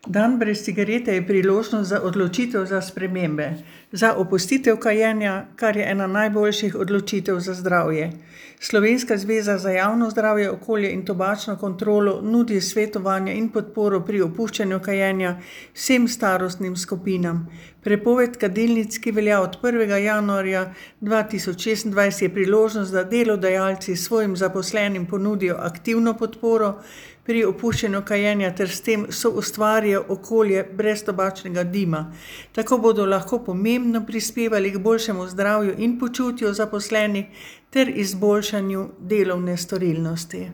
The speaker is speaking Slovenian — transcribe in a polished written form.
Dan brez cigarete je priložnost za odločitev za spremembe. Za opustitev kajenja, kar je ena najboljših odločitev za zdravje. Slovenska zveza za javno zdravje, okolje in tobačno kontrolo nudi svetovanje in podporo pri opuščanju kajenja vsem starostnim skupinam. Prepoved kadilnic, ki velja od 1. januarja 2026, je priložnost, da delodajalci svojim zaposlenim ponudijo aktivno podporo pri opuščanju kajenja ter s tem soustvarijo okolje brez tobačnega dima. Tako bodo lahko pomembno prispevali k boljšemu zdravju in počutju zaposlenih ter izboljšanju delovne storilnosti.